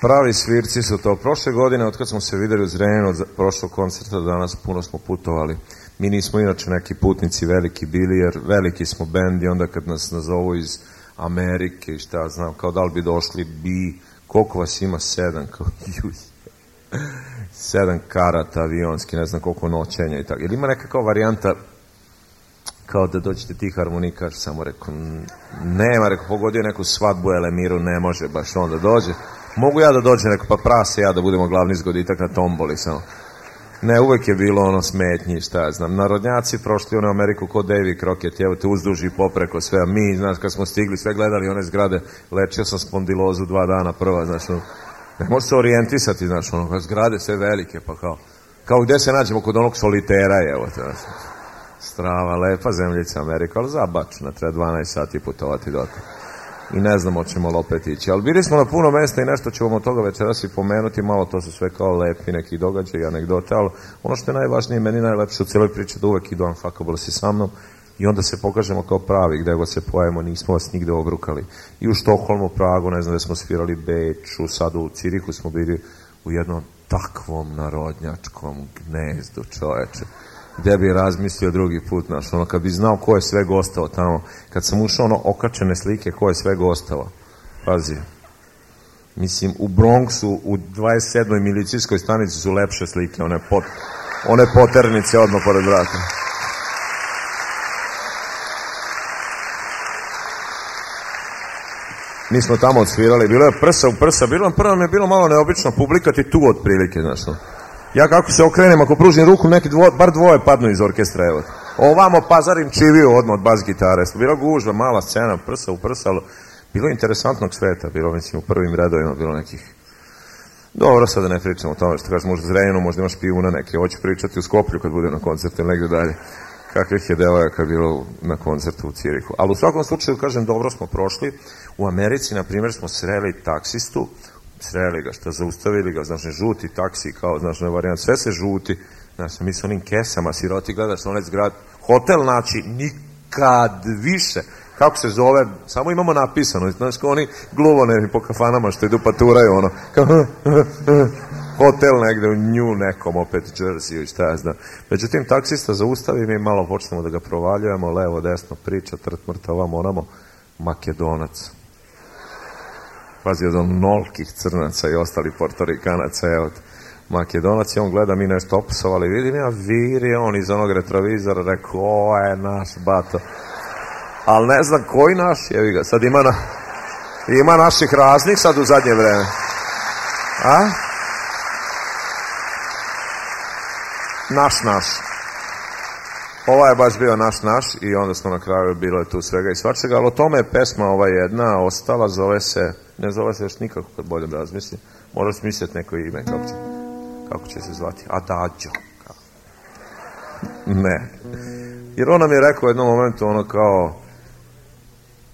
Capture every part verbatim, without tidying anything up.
Pravi svirci su to. Prošle godine, od kad smo se videli u Zrenjaninu, od prošlog koncerta do danas, puno smo putovali. Mi nismo inače neki putnici veliki bili, jer veliki smo bend i onda kad nas nazovu iz Amerike i šta znam, kao da li bi došli bi, koliko vas ima, sedam, kao juj, sedam karata avionski, ne znam koliko noćenja i tako. Jer ima neka kao varijanta, kao da dođete ti harmonikaš, samo rekao, nema, rekao, pogodio neku svadbu Elemiru, ne može baš on da dođe. Mogu ja da dođem, rekao, pa prase ja da budemo glavni zgoditak na tomboli, samo. Ne, uvek je bilo ono smetnji, šta ja znam. Narodnjaci prošli ono u Ameriku kod Davy Crockett, evo te uzduži popreko sve, a mi, znaš, kad smo stigli, sve gledali one zgrade, lečio sam spondilozu dva dana prva, znaš, ono, ne može se orijentisati, znaš, ono, zgrade sve velike, pa kao, kao gde se nađemo kod onog solitera, evo te, znaš, strava, lepa zemljica Amerika, ali zabačna, treba dvanaest sati putovati dotle. I ne znamo ćemo li opet ići. Ali bili smo na puno mesta i nešto ćemo od toga večeras i pomenuti, malo to su sve kao lepi neki događaj i anegdote, ali ono što je najvažnije, meni najlepše u cijeloj priči da uvek idu Unfuckable si sa mnom i onda se pokažemo kao pravi, gde god se pojavimo, nismo vas nigde obrukali. I u Štokholmu, Pragu, ne znam da smo svirali Beču, sad u Cirihu smo bili u jednom takvom narodnjačkom gnezdu, čoveče. Gde bi razmislio drugi put, znaš, ono, kad bi znao ko je sve gostao tamo, kad sam ušao, ono, okačene slike ko je sve gostao, pazi, mislim, u Bronxu, u dvadeset sedmoj milicijskoj stanici su lepše slike, one, pot, one poternice odmah pored vrata. Mi smo tamo odsvirali, bilo je prsa u prsa, bilo, prvo mi je bilo malo neobično, publika ti tu otprilike, znaš, no. Ja kako se okrenem, ako pružim ruku, neki dvo, bar dvoje padnu iz orkestra, evo. Ovamo pazarim čiviju odmah od bas gitare. Bila gužva, mala scena, prsa u prsa, ali bilo interesantnog sveta, bilo, mislim, u prvim redovima bilo nekih... Dobro, sada ne pričamo o tome, što kažeš, možda Zrenjaninu, možda imaš pijuna neke, hoće pričati u Skoplju kad bude na koncertu ili negdje dalje. Kakvih je devojaka bilo na koncertu u Cirihu. Ali u svakom slučaju, kažem, dobro smo prošli. U Americi, na primjer, smo sreli taksistu, sreli ga, šta zaustavili ga, znaš, žuti taksi, kao, znaš, ne varijant, sve se žuti, znaš, mi s onim kesama, siroti, gledaš onaj zgrad, hotel, znači, nikad više, kako se zove, samo imamo napisano, znaš, kao oni gluvoneri po kafanama što idu paturaju, ono, kao, hotel negde u nju nekom, opet Jersey i šta ja znam. Međutim, taksista zaustavi, mi malo počnemo da ga provaljujemo, levo, desno, priča, trt, mrta, ovamo, onamo, Makedonac. Pazi, od onolkih crnaca i ostali portorikanaca, evo, Makedonac, i on gleda, mi nešto opsovali, vidim ja, viri on iz onog retrovizora, rekao, ovo je naš bato. Ali ne znam koji naš, jevi ga, sad ima, na, ima naših raznih sad u zadnje vreme. A? Naš, naš. Ova je baš bio naš, naš i onda smo na kraju, bilo je tu svega i svačega, ali o tome je pesma ova jedna ostala, zove se, ne zove se još nikako kad bolje razmislim, moraš smisliti neko ime, kako će, kako će se zvati, Adagio. Ne. Jer on nam je rekao u jednom momentu ono kao,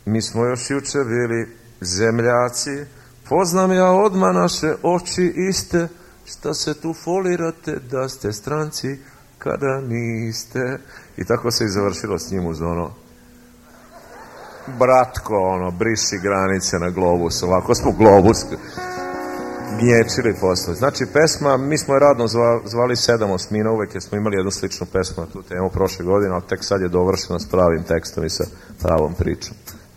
mi smo još juče bili zemljaci, poznam ja odmah naše oči iste, šta se tu folirate da ste stranci, kada niste. I tako se i završilo s njim uz ono, bratko, ono, briši granice na globus, ovako smo globus gnječili posle. Znači, pesma, mi smo je radno zvali Sedam osmina, uvek jer smo imali jednu sličnu pesmu na tu temu prošle godine, ali tek sad je dovršena s pravim tekstom i sa pravom pričom.